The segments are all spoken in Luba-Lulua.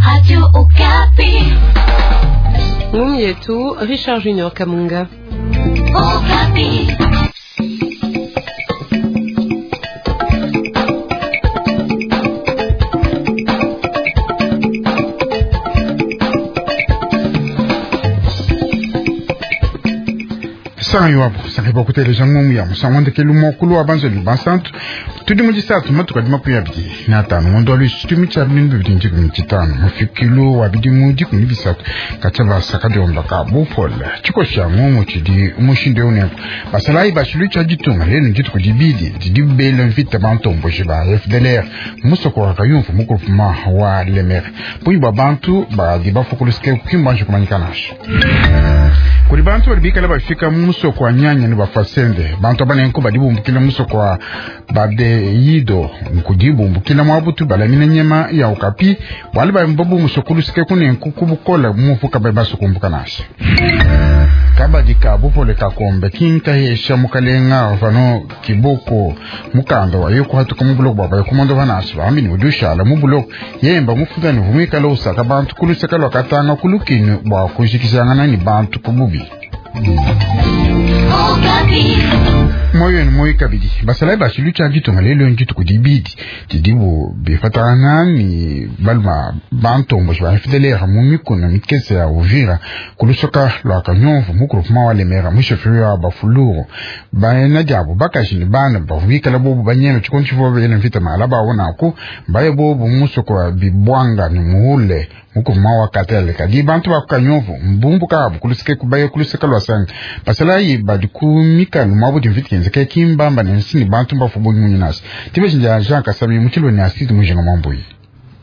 Radio Okapi. Ngumu yetu Richard Junior Kamunga. Okapi. Sanga iwapo sange kuteleja ngumu ya musango ndekelu mokulu wa banzelu bansantu tudi mu disatu matuka di 25 ngondo wa lwisi tumi tshia 2025 mufikilu wa bidimu 13 katshia basaka diomba ka bupole tshikoshi ngumu tshidi mushindu eu nenku basalayi bashilu tshia ditunga lenu dituku dibidi didi bela mvita bantomboji ba FDLR musoko wa kayumfu mukulupuma wa Lemere bungi bwa bantu badi bafukulusike kukimbanji kumanyika nasho kuli bantu bali bikala bafika musoko wa nyanya ni bafasende bantu abanenko badi bumbukila musoko wa badeyido nkudi bumbukila mwabutu balamina nyama ya ukapi bwali bambabu musokulusike kunenku kubukola mufuka bai basukumbuka nasi kabadi ka bupole kakombe kinkahesha mukalenga vano kiboko mukanda wayo kuhatuka mubuloko bwa bayo kumondo vanasi bambi udushala mubuloko yemba mufutani vumwikala usaka bantu kulusaka lwakatanga kulukini bwa kuzhikizangana ni bantu kububi moyo ni moyo kabidi basalayi bashilu tshia ditunga lelo ndituku dibidi didibu bifatana ni baluma bantomboji ba FDLR mu mikuna mikese ya Uvira kulusoka lwa kanyomvu mukulupuma wa Lemera musheferi wa Bafuluru bana diabo bakaji ni bana bavubikala bobu banyeme tshikondo tshivua bena mvita mala bawonaku mbaye bobu musoko wa bibwanga ni muhule mukulupuma wa Katele kadi bantu ba kanyomvu mbumbu kabu kulusike kubaye kulusika lwa sanga basalayi badi ku mikalu mwabu dimvita kenzeka kimbamba ne nsini bantu mbafu bunyi nasi tibeshinja Jean Kasami mutshilo ne asidi mujinga mwambuyi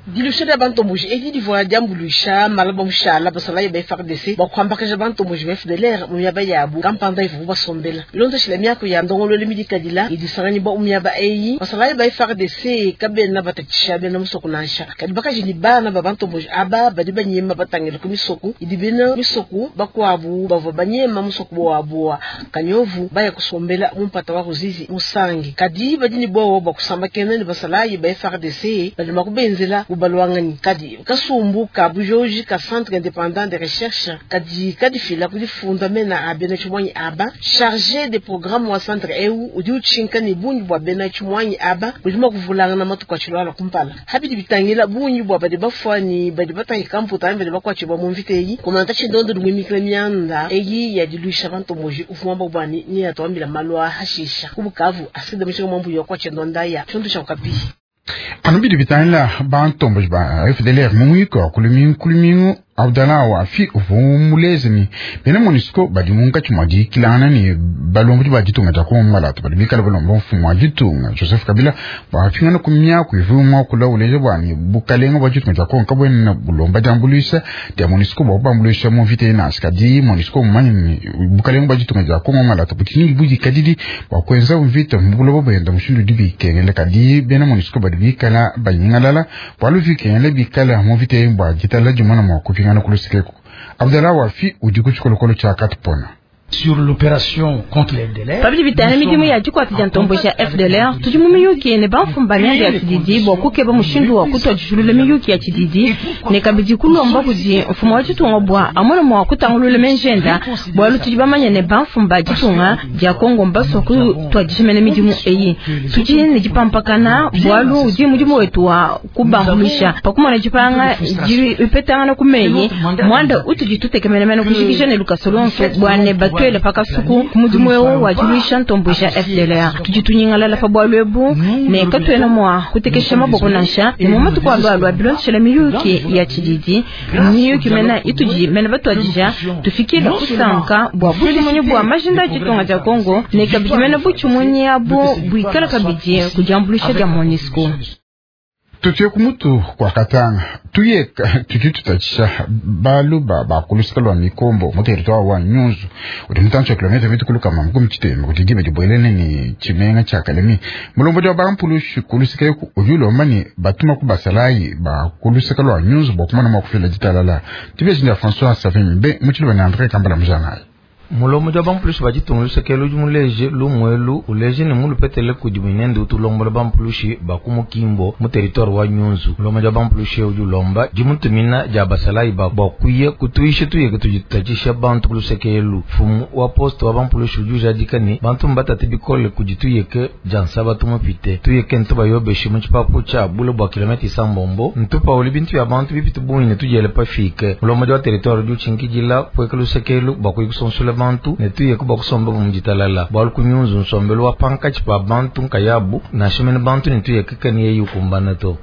Dilusha dia bantomboji edi divua diambuluisha malaba mushala basalayi ba FARDC bakuhambakaja bantomboji ba FDLR mu miaba yabu kampanda ivubu basombela ilondeshela miaku ya ndongololo midikadila idisanganyibwa mu miaba eyi basalayi ba FARDC kabena batatshisha bena musoko nansha kadi bakaji ni bana ba bantomboji aba badi banyema batangila ku misoko idi bena misoko bakuabu bavua banyema musoko wabu wa kanyovu baya kusombela mu mpata wa Ruzizi musangi kadi badi ni bowo bakusambakena ni basalayi ba FARDC badi makubenzela kubalwangani kadi kasumbu ka bujoji ka centre indépendant de recherche kadi kadifila kudifunda mena a bena tshimwanyi aba chargé de programme wa centre eu udi utshinka ni bungi bwa bena tshimwanyi aba budi mua kuvulangana matuku atshilwala kumpala habidi bitangila bungi bwa badi bafwani badi batahika mputa badi bakuatshibwa mu mvita eyi komanta tshindondo dimwimikila mianda eyi yadiluisha bantomboji ufumamba bwani ni yatuambila malu a hashisha kubukavu asida mushinga mwambuyi wa kuatshindonda tshindu tsha kukapi anu bidi bitangila bantomboji ba FDLR mu mwiko wa kulumingu kulumingu Abdallah Wafi uvua muleze ni bena MONUSCO badi munkatshi mua diyikilangana ne balombodi ba ditunga dia Kongo Malata badi bikala balomba mfumu wa ditunga Joseph Kabila bwapingana ku miaku ivua muakula uleja bua ne bukalenga bua ditunga dia Kongo kabuena bulomba diambuluisha dia MONUSCO bua kubambuluisha mu mvita inasi kadi MONUSCO mumanye ne bukalenga bua ditunga dia Kongo Malata budi budikadidi bua kuenza mvita mu buloba buenda mushindu udi bikengela kadi bena MONUSCO badi bikala banyingalala bualu bikengela bikala mu mvita eyi bua ditala dimona mua kupingana kulusikeku Abdallah Wafi udi ku tshikolokolo tshia Katupona. Sur l'opération contre les FDLR, pabidi bitana midimu ya dikwata dia ntombo ya FDLR tudi mu miyuki ne bamfumba mianda ya tshididi bua kukeba mushindu wa kutua dijulula miyuki ya tshididi ne kabidi kulomba kudi mfumu wa ditunga bua amona mua kutangulula menjenda bualu tudi bamanya ne bamfumba ditunga dia Kongo mbasua kutua dijimena midimu eyi tudi ne dipampakana bualu udi mudimu wetu wa kubambuluisha pakumona dipanga dipetangana ku meyi muanda utudi tutekemena kujikija ne lukasa lonso bua ne batuele pakasuku mudimu eu wadiluisha ntombo ya FDLR tudi tunyingalala pa bualu ebu ne katuena mua kutekesha maboko nansha ne mu matuku alualua bilondeshela miyuki ya tshididi miyuki mena itudi mena batuadija tufikile kusanka bua butshimunyi bua majinda a ditunga dia Kongo ne kabidi mena butshimunyi abu buikala kabidi kudiambuluisha dia MONUSCO. Tutuye kumutu kwa katanga tuye tudi tutatshisha baluba bakulusika lwa mikombo mu territoire wa Nyunzu udi mutantshi wa kilomita mitukulu makumi tshitema kuti diba dibuelene ni tshimenga tshia Kalemi mulombodi wa bampulushi kulusika eku udi ulomba ne batuma ku basalayi bakulusika lwa Nyunzu bua kumana mua kufila ditalala tibejinda François Savimbe mu tshiluba ne André Kambala mujanayi. Mulombodi wa bampulushi ba ditunga luseke ludi muleje lumu elu uleje ne mulupetele kudi muinende utu ulombola bampulushi ba ku Mukimbo mu territoire wa Nyunzu. Mulombodi wa bampulushi udi ulomba dimutumina dia basalayi ba bua kuya kutuisha tuyeke tudi tutatshisha bantu ku luseke elu. Mfumu wa poste wa bampulushi udi ujadika ne bantu mbatate bikole kudi tuyeke dia nsabatu mupite. Tuyeke ntubayobeshe mu tshipapu tshia bule bua kilomètre isambombo ntupauli bintu bia bantu bipite bungi ne tudiele pafike. Mulombodi wa territoire udi utshinkidila pueka luseke elu bua kuya kusonsola bantu ne tuyeke bua kusomba mu ditalala. Bualu ku Nyunzu nsombelu wa pankatshi pa bantu nkayabu nansha mene bantu ne tuyeke keni yeyi ukumbana to.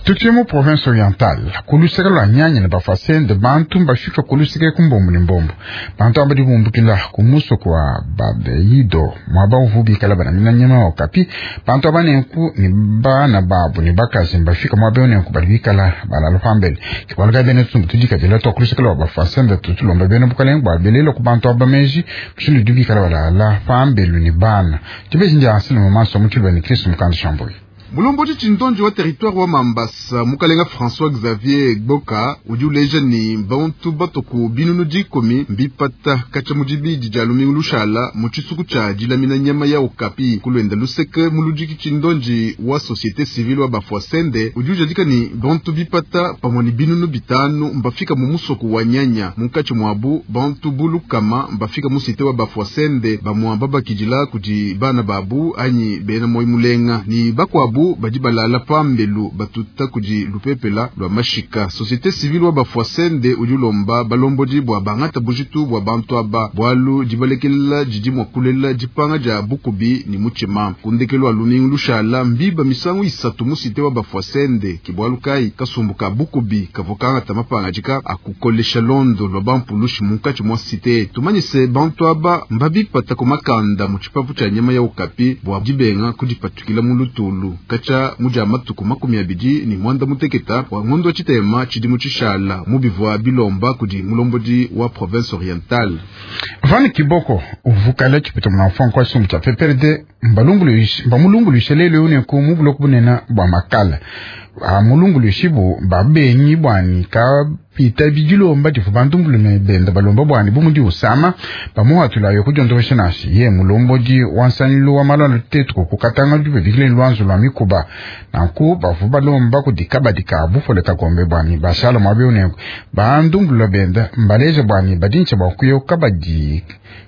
Tutuye mu province orientale ku luseke lua Nyanya ne Bafwasende bantu mbafika ku luseke ku mbombo ne mbombo. Bantu aba badi bumbukila ku musoko wa Babeido muaba uvu bikala banamina nyama wa okapi. Bantu aba nenku ne bana babu ne bakaji mbafika muaba eu nenku badi bikala balala pambele. Ke bualu kayi bena tshisumbu tudikadila tua ku luseke lua Bafwasende tutulomba bena bukalenge bua belela ku bantu aba meji mushindu udi bikala balala pambelu ne bana. Dibeji ndia Anselme Maso mu tshiluba ne Kristu Mukanda Shambuyi. Mulombodi tshindonji wa territoire wa Mambasa mukalenga François Xavier Boka udi uleja ne bantu batuku binunu 10 mbipata katshia mu dibidi dia lumingu lushala mu tshisuku tshia dilamina nyama ya okapi. Kulwenda luseke muludiki tshindonji wa société civile wa Bafwasende udi ujadika ne bantu bipata pamue ne binunu 5 mbafika mu musoko wa Nyanya. Munkatshi muabu bantu bulukama mbafika mu cité wa Bafwasende bamua babakidila kudi bana babu anyi bena moyi mulenga ni bakuabu badi balala pambelu batuta kudi lupepela lua mashika. Société civile wa Bafwasende udi ulomba balombodi bua bangata bujitu bua bantu aba bualu dibalekelela didi mua kulela dipanga dia bukubi ni mutshima. Kundekelu wa lumingu lushala mbiba misangu 3 mu cité wa Bafwasende ke bualu kayi kasumbu ka bukubi kavua kangata mapangadika akukolesha londo lua bampulushi munkatshi mua cité. Tumanyise bantu aba mbabipata ku makanda mu tshipapu tshia nyama ya okapi bua dibenga kudipatukila mu lutulu katshia mudia matuku 28 wa ngondo wa tshitema tshidimu tshishala mu bivua bilomba kudi mulombodi wa province orientale. Van Kiboko uvukala tshipita muna mfua tshisumbu tshia PPRD mbamulunguluishe lelo nenku mu buloko bunene bua Makala. Amulunguluishi bu babengi bwani kapita bidilomba difu bantu mbulume benda balomba bwani bumudi usama bamuhatulayo kudiondokesha nasi ye mulombodi wa nsanilo wa malwalo tetu kukatanga dube bikile lwanzo lwa mikuba nanku bavu balomba kudikabadika bufole kagombe bwani bashala mwabe unenku bantu mbulula benda mbaleja bwani badincha bwa kuyo kabadi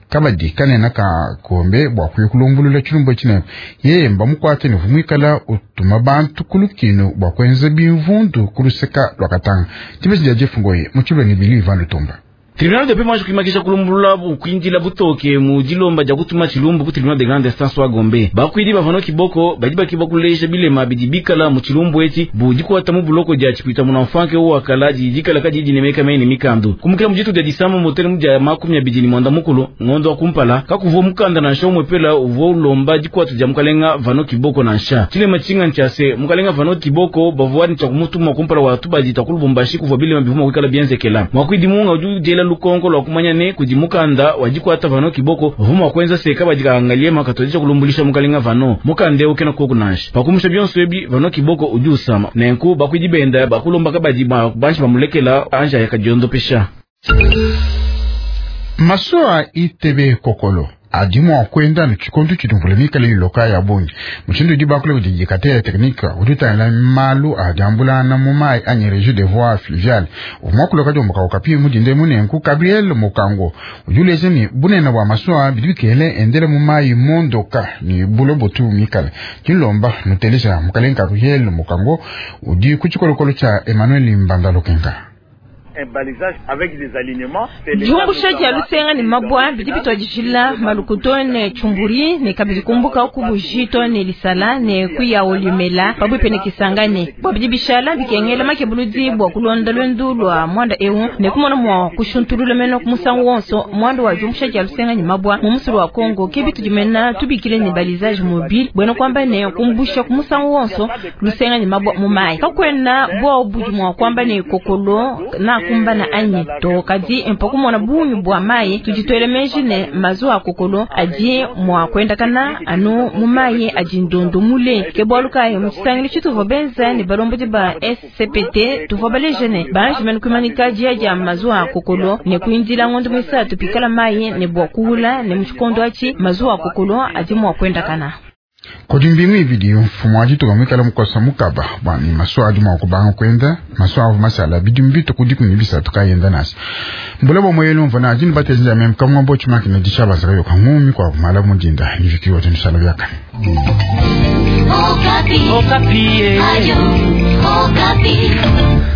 kabadi kanena ka kombe bwa kuyo kulumbulula tshilumbu tshine ye mbamukwate ne vumwikala utuma bantu kulukino bwa kwenza bimvundu kuluseka lwa Katanga. Dibeji dia Jeff Ngoyi mu tshiluba ne Bili Ivan Lutumba. Tribunal de paix mwaji kuimakisha kulumbulula kuindila butoke mu dilomba dia kutuma tshilumbu ku tribunal de grande instance wa Gombe. Bakwidi bavano Kiboko badi bakiba kulesha bilema bidi bikala mu tshilumbu etshi budi kuata mu buloko dia tshipita mu mfanke wa kala di dikala kadi dinemeka mene mikandu. Kumukila mu jitu dia disama motele mu dia 29 ngondo wa kumpala kakuvua mukanda nansha umwepela uvua ulomba dikwata dia mukalenga Vano Kiboko nansha. Tshilema tshinga ntshiase mukalenga Vano Kiboko bavua ni tshiakumutuma kumpala wa tubadi ta kulubumbashi kuvua bilema bivuma kuikala bienzekela. Mwakwidi munga udi ujela lukonko lwa kumanya ne kudi mukanda wa dikwata Vano Kiboko vuma kwenza seka badika angalie makatodisha kulumbulisha mukalenga Vano mukande ukena koku nansha pakumusha byonso ebi Vano Kiboko udi usama nenku bakwidi benda bakulomba kabadi ba banshi bamulekela anja yakadiondopesha. Masuwa itebe kokolo adi mua kuenda ne tshikondo tshidi mvula mikale iloka ya bungi mushindu udi bakule kudi dikate ya technique udi utangila malu a diambulana mu mayi anyi régie de voies fluviales uvua kuloka diomboka okapi mudinde munenku Gabriel Mokango udi uleja ne bunene bua masuwa bidi bikele endele mu mayi mondoka ni bulobo tu mikale dilomba nuteleja mukalenga Gabriel Mokango udi ku tshikolokolo tshia Emmanuel Mbanda Lokenga. Diumbusha dia lusenga ne mabwa bidi bitwadishila malukuto ne chumburi ne kabidi kumbuka ku bujito ne lisala ne kuya olimela pabwipe ne kisangane bwa bidi bishala bikengela makebuludi bwa kulonda lwendu lwa mwanda eu ne kumona mwa kushuntulula meno ku musangu wonso mwanda wa diumbusha dia lusenga ne mabwa mu musulu wa Kongo ke bitu dimena tubikile ne balisage mobile bwena kwamba ne kumbusha ku musangu wonso lusenga ne mabwa mu mai kakwena bwa budi mwa kwamba ne kokolo na akumbana anyi to. Kadi mpa kumona bungi bua mayi, tudi tuela meji ne mazuwa a kokolo adi mua kuendakana anu mu mayi adi ndondo mule. Ke bualu kayi mu tshisangilu tshituvua benza ne balombodi ba SCPT tuvua baleje ne banji mene kuimanyika diya dia mazuwa a kokolo ne kuindila ngondo muisatu pikala mayi ne bua kuwula, ne mu tshikondo atshi mazuwa a kokolo adi mua kuendakana. Kudi mbingu ibidi mfumu wa ditunga muikale mukosa mukaba bua ne masuwa adi mua kubanga kuenda. Masuwa avua mashala bidimu bitue ku 13 kayenda nansha. Mbula bua mueyelu mvua na adi ne batezi ya meme kamwa bo tshimaki ne disha yoka ngumi kwa mala mudinda niviki wote nishala byakane. Okapi. Okapi. Ayo, Okapi.